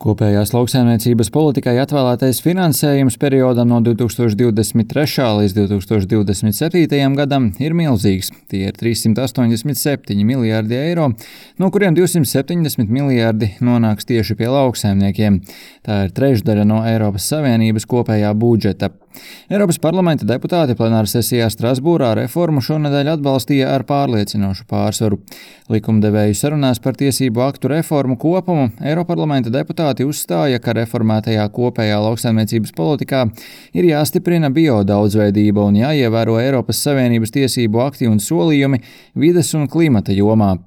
Kopējās lauksaimniecības politikai atvēlētais finansējums periodam no 2023. līdz 2027. gadam ir milzīgs. Tie ir 387 miljārdi eiro, no kuriem 270 miljārdi nonāks tieši pie lauksaimniekiem. Tā ir trešdaļa no Eiropas Savienības kopējā budžeta. Eiropas parlamenta deputāti plenāra sesijā Strasbūrā reformu šonedēļ atbalstīja ar pārliecinošu pārsvaru. Likumdevēju sarunās par tiesību aktu reformu kopumu Eiroparlamenta deputāti uzstāja, ka reformētajā kopējā lauksaimniecības politikā ir jāstiprina biodaudzveidība un jāievēro Eiropas Savienības tiesību akti un solījumi vides un klimata jomā.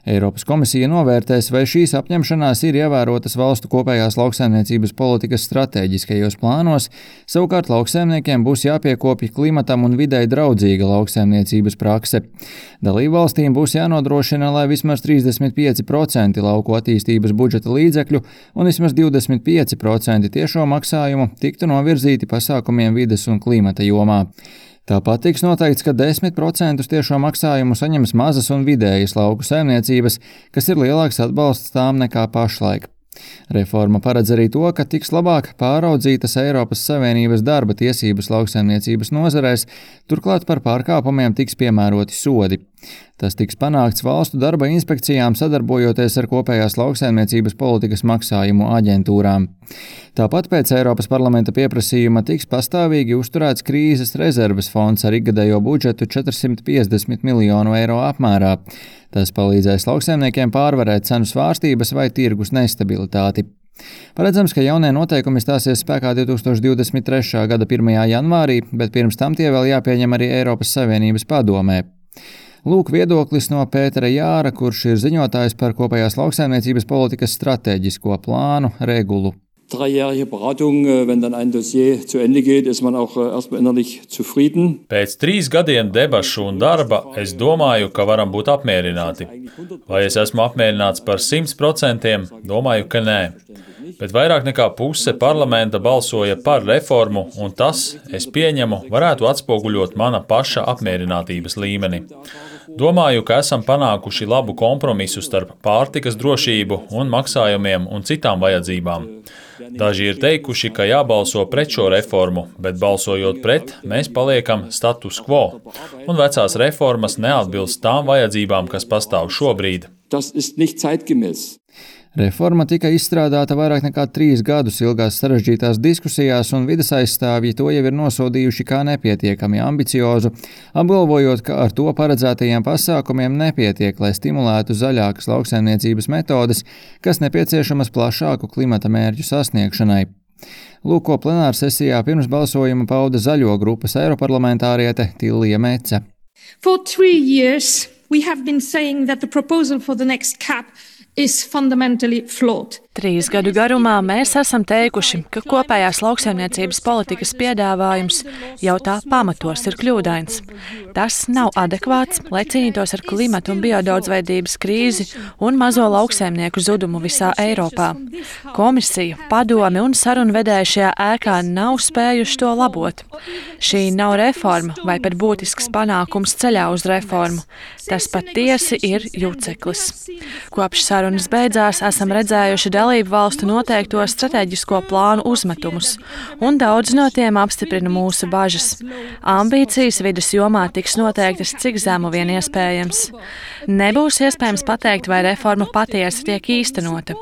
Eiropas komisija novērtēs, vai šīs apņemšanās ir ievērotas valstu kopējās lauksaimniecības politikas stratēģiskajos plānos, savukārt lauksaimniekiem būs jāpiekopja klimatam un videi draudzīga lauksaimniecības prakse. Dalībvalstīm būs jānodrošina, lai vismaz 35% lauku attīstības budžeta līdzekļu un vismaz 25% tiešo maksājumu tiktu novirzīti pasākumiem vides un klimata jomā. Tāpat tiks noteikts, ka 10% tiešo maksājumu saņems mazas un vidējas lauku saimniecības, kas ir lielāks atbalsts tām nekā pašlaik. Reforma paredz arī to, ka tiks labāk pāraudzītas Eiropas Savienības darba tiesības lauksaimniecības nozarēs, turklāt par pārkāpumiem tiks piemēroti sodi. Tas tiks panākts valstu darba inspekcijām sadarbojoties ar kopējās lauksaimniecības politikas maksājumu aģentūrām. Tāpat pēc Eiropas parlamenta pieprasījuma tiks pastāvīgi uzturēts krīzes rezerves fonds ar ikgadējo budžetu 450 miljonu eiro apmērā. Tas palīdzēs lauksaimniekiem pārvarēt cenu svārstības vai tirgus nestabilitāti. Paredzams, ka jaunie noteikumi stāsies spēkā 2023. gada 1. janvārī, bet pirms tam tie vēl jāpieņem arī Eiropas Savienības padomē. Lūk viedoklis no Pētera Jāra, kurš ir ziņotājs par kopējās lauksaimniecības politikas stratēģisko plānu regulu. Dreijährige Beratung, wenn dann ein Dossier zu Ende geht, ist man auch erstmal innerlich zufrieden. Pēc 3 gadiem debašu un darba es domāju, ka varam būt apmierināti. Vai es esmu apmierināts par 100%? Domāju, ka nē. Bet vairāk nekā puse parlamenta balsoja par reformu, un tas, es pieņemu, varētu atspoguļot mana paša apmierinātības līmeni. Domāju, ka esam panākuši labu kompromisu starp pārtikas drošību un maksājumiem un citām vajadzībām. Daži ir teikuši, ka jābalso pret šo reformu, bet balsojot pret, mēs paliekam status quo, un vecās reformas neatbilst tām vajadzībām, kas pastāv šobrīd. Das ist nicht zeitgemäß. Reforma tika izstrādāta vairāk nekā 3 gadus ilgās sarežģītās diskusijās, un vides aizstāvji to jau ir nosodījuši kā nepietiekami ambiciozu, apgalvojot, ka ar to paredzētajiem pasākumiem nepietiek, lai stimulētu zaļākas lauksaimniecības metodes, kas nepieciešamas plašāku klimata mērķu sasniegšanai. Lūk, ko plenāra sesijā pirms balsojuma pauda zaļo grupas eiroparlamentāriete Tillija Mece. For 3 years we have been saying that the proposal for the next CAP is fundamentally flawed. 3 gadu garumā mēs esam teikuši, ka kopējās lauksaimniecības politikas piedāvājums jau tā pamatos ir kļūdains. Tas nav adekvāts, lai cīnītos ar klimatu un biodaudzveidības krīzi un mazo lauksaimnieku zudumu visā Eiropā. Komisija, padome un sarunvedēji šajā ēkā nav spējuši to labot. Šī nav reforma vai pat būtisks panākums ceļā uz reformu. Tas patiesi ir juceklis. Kopš sarunas beidzās esam redzējuši dalību valstu noteikto strateģisko plānu uzmetumus, un daudz no tiem apstiprina mūsu bažas. Ambīcijas vides jomā tiks noteiktas cik zemu vien iespējams. Nebūs iespējams pateikt, vai reforma patiesi tiek īstenota.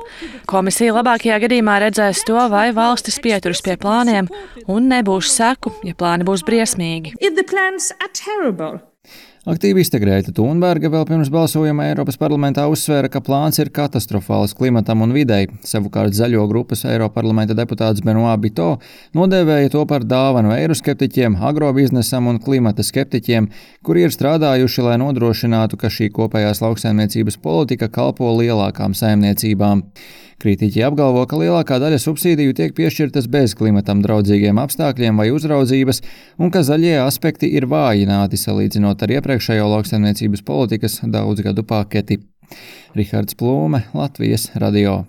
Komisija labākajā gadījumā redzēs to, vai valstis pieturas pie plāniem, un nebūs seku, ja plāni būs briesmīgi. Aktīviste Grēta Thunberga vēl pirms balsojuma Eiropas parlamentā uzsvēra, ka plāns ir katastrofāls klimatam un videi. Savukārt zaļo grupas Eiroparlamenta deputāts Benoît Biteau nodēvēja to par dāvanu eiroskeptiķiem, agrobiznesam un klimata skeptiķiem, kuri ir strādājuši, lai nodrošinātu, ka šī kopējās lauksaimniecības politika kalpo lielākām saimniecībām. Kritiķi apgalvo, ka lielākā daļa subsīdiju tiek piešķirtas bez klimatam draudzīgiem apstākļiem vai uzraudzības, un ka zaļie aspekti ir vājināti salīdzinot ar iepriekšējo lauksaimniecības politikas daudzgadu paketi. Rihards Plūme, Latvijas radio.